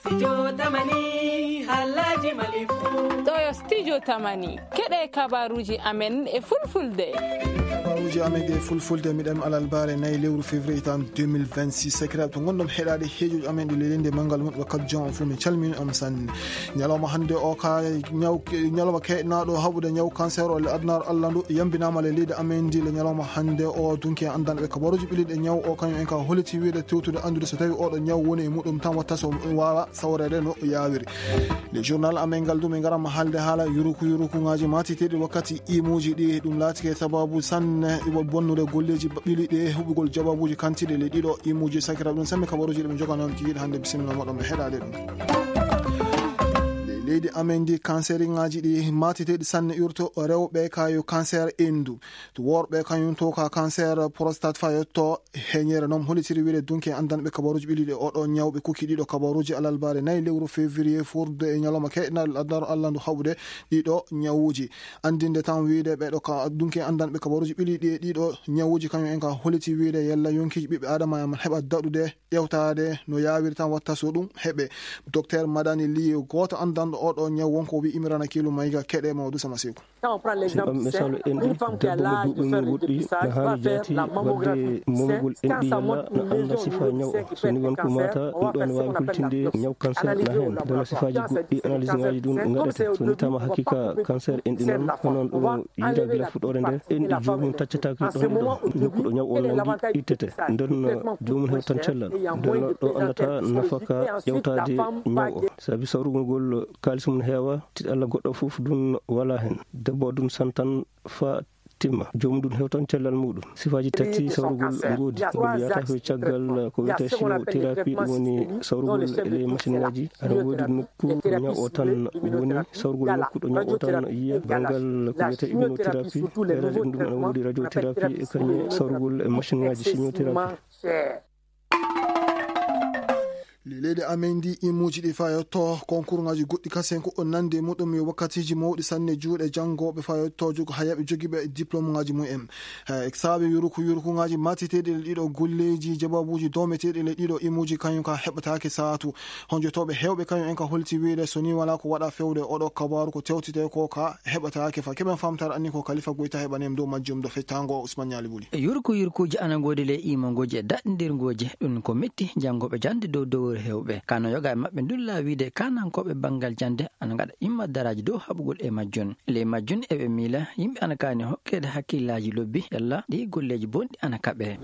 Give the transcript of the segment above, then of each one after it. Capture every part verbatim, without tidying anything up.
Studio Tamani, Alhaji Malifu. Ɗo yo Studio Tamani. Keɗe kabaruji amen e fulfulde. Kabaruji amen e fulfulde, miɗen alal bare nayi lewru février tan deux mille vingt-six. Sakiraaɓe, to ngonɗon heɗaade heejoji amen ɗi lelinde manngal mum, wakkat jom on fof, min calmini on sanne. Ñalawma hannde o ka ñaw-, ñalawma keɗnaaɗo haɓude ñaw cancer o le adnar Allah ndu yambinaama le leydi amen ndi le ñalawma hannde o. Dunki en anndanɓe kabaruji ɓiliɗe ñaw o, kañum en ka holiti wiide tewtude anndude so tawi oɗo ñaw woni e muɗum tan watta so waawa sawreede no yaawiri. Le journal amen ngal du, min ngaran ma haalde haala yuruku yurukuŋaaji maatiteeɗi wakkati imuuji ɗi. Ɗum laatike sababu sanne iwo bonnude golleeji ba-, ɓili ɗi e huɓugol jawabuuji kantiiɗi le ɗiɗo imuuji. Sakiraaɓe, ɗum sammi kabaruuji ɗi min joganii on kikiiɗe hannde. Bisimilla moɗon, mi heɗaade ɗum. Le-, leydi amen ndi, kanseriŋaaji ɗi maatiteeɗi sanne urto rewɓe ka yo cancer enndu. To worɓe kañum to ka cancer prostate fayotto. Heñere noon holitiri wiide dunki en anndanɓe kabaruuji ɓiliɗe oɗo ñaw ɓe kuki ɗiɗo kabaruuji alalbaare nayi lewru février furde e ñalawma keɗnal adnar Allah ndu haɓude ɗiɗo ñawuuji. Anndinde tan wiide ɓeɗo ka dunki en anndanɓe kabaruuji ɓiliɗi e ɗiɗo ñawuuji kañum en ka holiti wiide yalla yonkiiji ɓiɓɓe Adama en heɓa daɗude ƴewtaade no yaawiri tan watta so ɗum heɓe. Docteur Madani Ly, gooto anndanɗo oɗo ñaw wonko wi Imrana Kilu Mayga, keɗe mawɗo Sama Seku. Si on misalu enɗi, debbo mo duuɓi mum woɗɗi, na haani jaati waɗde momugol enɗi yalla na annda sifa ñaw o. So ni won ko mata, ɗum ɗon waawi hultinde ñaw cancer na heen. Ndeno sifaaji goɗɗi, analyse ŋaaji ɗum ngaɗete. So ni tama haqiqa cancer enɗi noon, ko noon ɗum yiida gila fuɗɗoore nde, enɗi joomum taccataake ɗo ɗo nokku ɗo ñaw on nangi ittete. Nden joomum hewtan cellal. Nden ɗo anndata nafaka ƴewtaade ñaw o. Sabi sawrugol ngol kaalis mum heewa, tiɗalla goɗɗo fof ɗum wala heen. Debbo ɗum santan fa timma. Joomum ɗum hewtan cellal muɗum. Sifaaji tati sawrugol ngoodi. Ngol wiyata ko caggal ko wiyata chimiothérapie, ɗum woni sawrugol e ley machine ngaji. Aɗa woodi nokku ñaw o tan woni sawrugol nokku ɗo ñaw o tan yiya. Banngal ko wiyata immunothérapie, ɓeɗe ɗum ɗum aɗa woodi radiothérapie e kañum sawrugol e machine ngaji chimiothérapie. Leydi amen ndi imuuji ɗi fayotto konkurŋaaji goɗɗi kasen ko o nande muɗum yo wakkatiiji mawɗi sanne juuɗe janngooɓe fayotto jogo hayaɓe jogiiɓe diplômeŋaaji mumen. Eh, saabe yuruku yurukuŋaaji matiteeɗi le ɗiɗo golleeji jababuuji doometeeɗi le ɗiɗo imuuji kañum ka heɓataake saatu. Honjotooɓe heewɓe kañum en ka holti wiide so ni wala ko waɗa fewde oɗo kabaaru ko tewtite ko ka heɓataake fa. Keɓen famtare anni ko Kalifa Goyta heɓanem dow majjum do fettango Usman Ñaali Buli. Yurku yurkuuji ana ngoodi ley iimangooji e daɗndirngooji. Ɗum ko metti janngooɓe jannde dow dowre heewɓe. Kano yoga e maɓɓe ndulla wiide kanankooɓe banngal jannde ana ngaɗa imma daraaji dow haɓugol e majjun. Ley majjun eɓe miila yimɓe ana kaani hokkeede hakkillaaji lobbi yalla ɗi golleeji bonɗi ana kaɓe.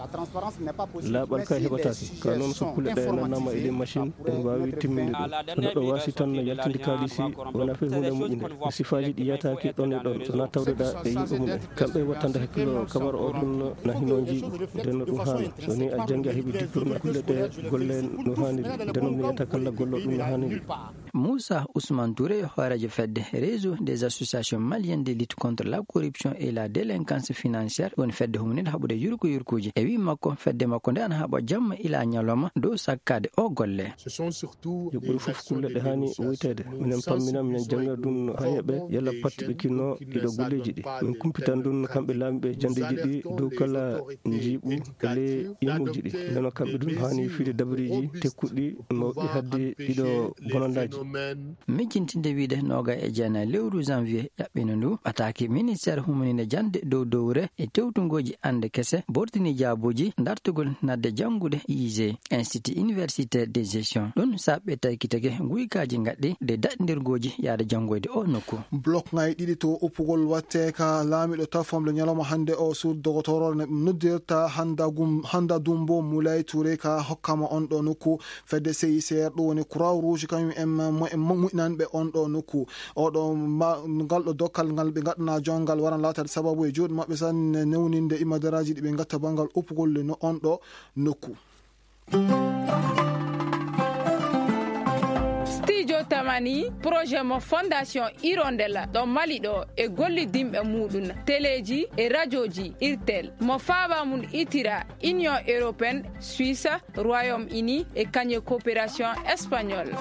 Laaɓal kay heɓataake. Ka noon so kulle ɗe nannaama e ley machine, ɗum waawi timminde ɗum. So neɗɗo waasi tan yaltinde kaalisi, wonaa fay huunde moƴƴunde. Sifaaji ɗi yataake ɗon e ɗon, so wonaa tawde ɗa e yimɓe mum en. Kamɓe wattande hakkilo kabar o ɗum na hino njiiɓi. Nden no ɗum haana. So ni a janngi a heɓi diplôme kulle ɗe golle no haaniri. Nden no mi yiyata kala gollo ɗum no haaniri. Moussa Ousmane Touré, hooreejo fedde Réseau des associations maliennes de lutte contre la corruption et la délinquance financière, woni fedde huminide haɓude yurko yurkuuji. E wii makko, fedde makko nde ana haɓa jamma ila ñalawma dow sakkaade o golle. Ce sont surtout yo ɓuri fof kulle ɗe haani woyteede. Minen pammina, minen jannga ɗum no hayeɓe, yalla pattiɓe kinno ɗiɗo golleeji ɗi. Min kumpitan ɗum kamɓe laamiɓe janndeeji ɗi dow kala njiiɓu e ley imuuji ɗi. Ndeno kamɓe ɗum haani fiide dabariiji tekkuɗi mawɗi hadde ɗiɗo bonandaaji. Mijjintinde wiide noga e jeenayi lewru janvier ƴaɓɓino ndu, ɓataaki ministère humininde jannde dow dowre e tewtungooji annde kese, bortini jaabuuji dartugol nadde janngude I I G, Institut Universitaire de Gestion. Ɗum saɓɓe taykitege nguykaaji ngaɗɗi de daɗndirgooji yaade janngoyde o nokku. Blok ngayi ɗiɗi to uppugol watte ka laamiɗo tafomle ñalawma hannde o sur dogotoro ne noddirta handa gum-, handa dumbo Moulay Touré ka hokkama on ɗo nokku. Fedde C I C R, ɗum woni Croix Rouge, kañum en mo-, mo-, moƴƴinanɓe on ɗo nokku. Oɗo ma-, ngal ɗo dokkal ngal ɓe ngaɗana jonngal waran laatade sababu e juuɗe maɓɓe tan newninde imadaraaji ɗi ɓe ngatta banngal uppugol no on ɗo nokku. Studio Tamani, projet mo Fondation Hirondelle ɗo Mali ɗo e gollidinɓe muɗum, teleeji e rajooji Irtel, mo faaba mum itira Union Européenne, Suisse, Royaume-Uni e kañum e coopération espagnole.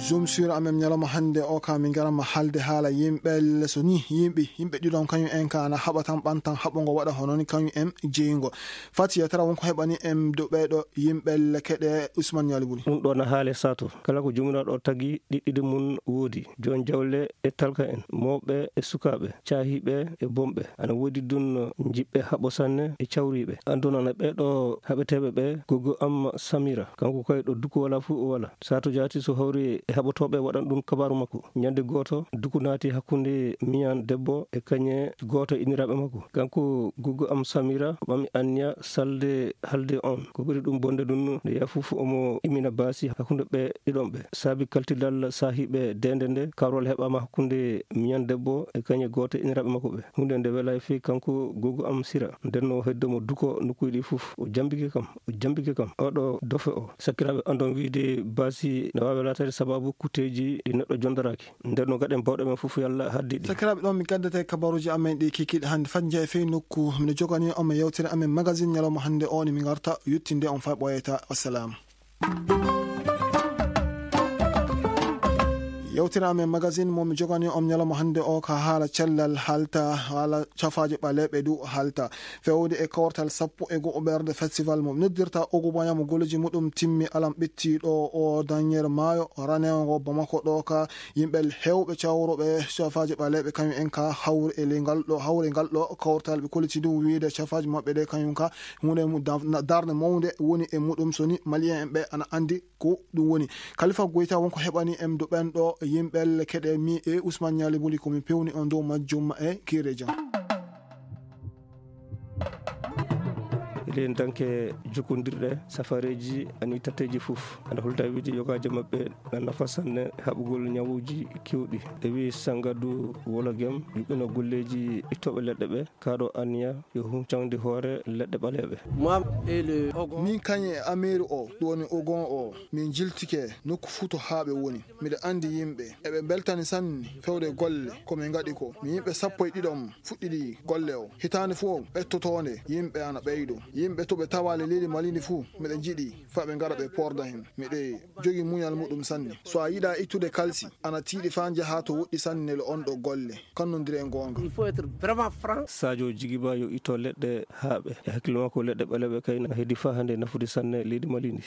Zoom sur amen ñalawma hannde o ka min ngaranma haalde haala yimɓe, so ni yimɓe, yimɓe ɗiɗon kañum en ka ana haɓa tan ɓantan haɓugo waɗa hono ni kañum en jeyngo. Fati yetara wonko heɓani en dow ɓeeɗo yimɓe keɗe Ousmane Ñaali Buli. Ɗum ɗo na haale sato. Kala ko joomiraaɗo o tagi ɗiɗɗiɗi mum woodi. Joon jawle e talka en, mawɓe e sukaaɓe, caahiiɓe e bonɓe. Ana woodi ɗum jiɓɓe haɓo sanne e cawriiɓe. Andunana ɓeeɗo haɓeteeɓe ɓe, gogo am Samira. Kanko kay ɗo duku wala fuu o wala. Sato jaati so hawri e haɓotooɓe waɗan ɗum kabaaru makko. Ñande gooto, duku naati hakkunde miñan debbo e kañe gooto e inniraaɓe makko. Kanko gogo am Samira ɓami anniya salde halde on. Ko ɓuri ɗum bonde ɗum, nde yaha fof omo imina baasi hakkunde ɓe ɗiɗon ɓe. Saabi kaltidal saahiiɓe deende nde, kawral heɓaama hakkunde miñan debbo e kañe gooto e inniraaɓe makko ɓe. Huunde nde welaay fii kanko gogo am Sira. Nden no heddo mo duko nokkuuji ɗi fof. O jambike kam, o jambike kam. Oɗo dofe o. Sakiraaɓe andon wiide baasi ne waawi laataade sababu kutteeji ɗi neɗɗo jondoraaki. Nden no gaɗen bawɗe men fof yalla haddi ɗi. Sakiraaɓe, ɗon mi gaddata e kabaruuji amen ɗi kikiiɗe hannde. Fat njahe fey nokku. Mino jogani on mo yewtere amen magazine ñalawma hannde o ni mi ngarta yuttinde on fay ɓooyata. Wassalam. Yewtere amen magazine mo mi jogani on ñalawma hannde o ka haala cellal halta, haala cafaaje ɓaleeɓe du halta. Fewde e kawtal sappo e go'o ɓerde festival mo noddirta Ogo Boña mo golleji muɗum timmi alam ɓetti ɗo o dañere maayo ranewo ngo Bamako ɗo ka yimɓe hewɓe cawroɓe cafaaje ɓaleeɓe kañum en ka hawri e ley ngal ɗo, hawri ngal ɗo kawtal ɓe kolliti ɗum wiide cafaaje maɓɓe ɗe kañum ka huunde mum da-, na-, darnde mawnde woni e muɗum so ni Malien en ɓe ana anndi ko ɗum woni. Kalifa Goyta wonko heɓani en do ɓen ɗo yimɓe keɗe mi e Ousmane Ñaali Buli ko min pewni on dow majjum e kiire jam. Eɗen danke jokkondirɗe safareeji ani tatteeji fof. Ana holta wiide yogaaji maɓɓe na nafa sanne haɓugol ñawuuji kewɗi. E wi Sangadu Wologem, yuɓɓino golleeji ittooɓe leɗɗe ɓe, kaɗo anniya yo huncandi hoore leɗɗe ɓaleeɓe. Moi et le Ogon. Min kañe e Ameeri o, ɗum woni Ogon o, min jiltike nokku fuu to haa ɓe woni. Miɗo anndi yimɓe, eɓe mbeltani sanne fewde golle ko min ngaɗi ko. Min yimɓe sappo e ɗiɗon fuɗɗidi golle o. Hitaande fof ɓettotoonde, yimɓe ana ɓeydo. Yimɓe to ɓe tawaali leydi Mali ndi fuu, miɗo jiɗi fa ɓe ngara ɓe porda heen. Miɗo jogii muñal muɗum sanne. So a yiɗaa ittude kalsi, ana tiiɗi faa njahaa to woɗɗi sanne le on ɗo golle. Kannondire e goonga. Il faut être vraiment franc. Sadio Jigiba yo itto leɗɗe haaɓe. E hakkille makko leɗɗe ɓaleeɓe kay na heedi faa hannde nafude sanne leydi Mali ndi.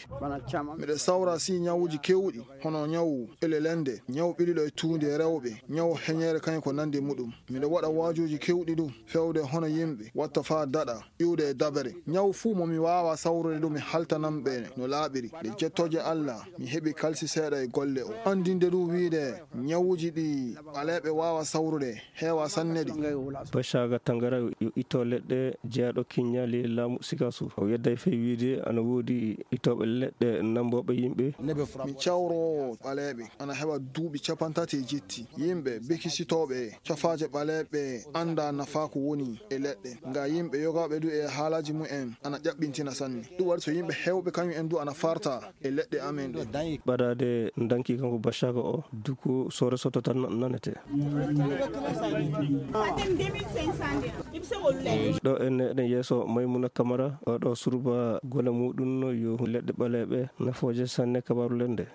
Miɗo sawra si ñawuuji keewɗi. Hono ñawu elelende, ñawu ɓiliɗo e tuundi e rewɓe, ñawu heñeere kañum ko nanndi muɗum. Miɗo waɗa waajuuji keewɗi du, fewde hono yimɓe, watta faa daɗa, iwde e dabere. Ñawu fuu mo mi waawa sawrude du, mi haltanan ɓe no laaɓiri. Nde jettooje Alla, mi heɓi kalsi seeɗa e golle o. Anndinde du wiide, ñawuuji ɗi ɓaleeɓe waawa sawrude, heewa sanne ɗi. Bacaga Tangara yo itto leɗɗe jeyaaɗo kiññaali laamu Sikasur. O yedday fey wiide ana woodi ittooɓe leɗɗe nambooɓe yimɓe. Mi cawroowo ɓaleeɓe ana heɓa duuɓi capantati e jetti. Yimɓe bekisitooɓe cafaaje ɓaleeɓe annda nafaa ko woni e leɗɗe. Nga yimɓe yogaaɓe du e haalaaji mumen ana ƴaɓɓintina sanne. Ɗum waɗi so yimɓe heewɓe kañum en du ana farta e leɗɗe amen ɗe. Ɓadaade ndanki kanko Bacaga o, duku sore soto tan nanete. Ɗo en eɗen yeeso Maymuna Kamara, oɗo surba gole muɗum yo leɗɗe ɓaleeɓe nafooje sanne kabaru lende.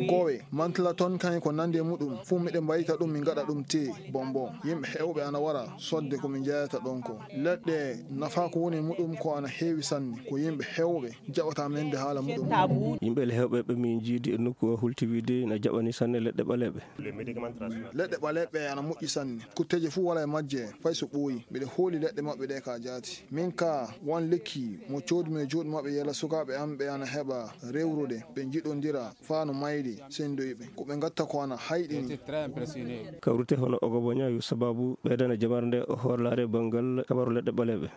Kowe, mantla toon kañum ko nandi e muɗum, fuu miɗen mbayita ɗum, min ngaɗa ɗum te bonbon. Yimɓe heewɓe ana wara sodde ko min jeyata ɗon ko. Leɗɗe nafa ko woni e muɗum ko ana heewi sanne, ko yimɓe heewɓe jaɓata men nde haala muɗum. Yimɓe le heewɓe ɓe min jiidi e nokku o hulti wiide na jaɓani sanne leɗɗe ɓaleeɓe. Leɗɗe ɓaleeɓe ana moƴƴi sanne. Kutteeje fuu wala e majje, fay so ɓooyi. Miɗo hooli leɗɗe maɓɓe ɗe ka jaati. Min ka, wan lekki mo coodumi e juuɗe maɓɓe yela sukaaɓe am ɓe ana heɓa rewrude, ɓe njiɗondira faa no mayri senndoyi ɓe. Ko ɓe ngatta ko ana hayɗini. Kawrite hono Ogoboña yo sababu ɓeydana jamar nde horlaare banngal kabaru leɗɗe ɓaleeɓe.